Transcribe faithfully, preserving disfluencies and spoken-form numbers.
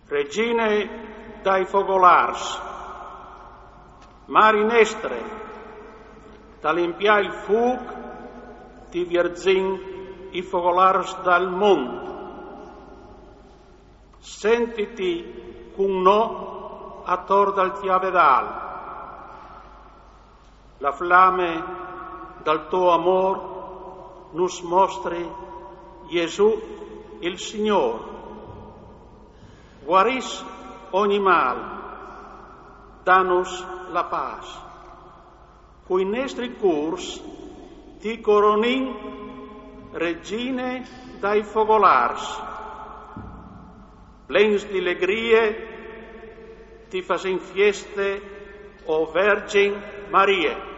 Regine dai fogolârs, Mari nestre, ta limpiâ il fûc ti vierzìn i fogolârs dal mont. Sentiti cun nô ator dal cjavedâl. La flame dal to amôr nus mostri Jesù il Signôr. Guarìs ogni mâl, danus la pâs. Cui nestri cûrs ti coronìn, Regine dai fogolârs. Plens di legrie ti fasìn fieste, o Vergin Marie.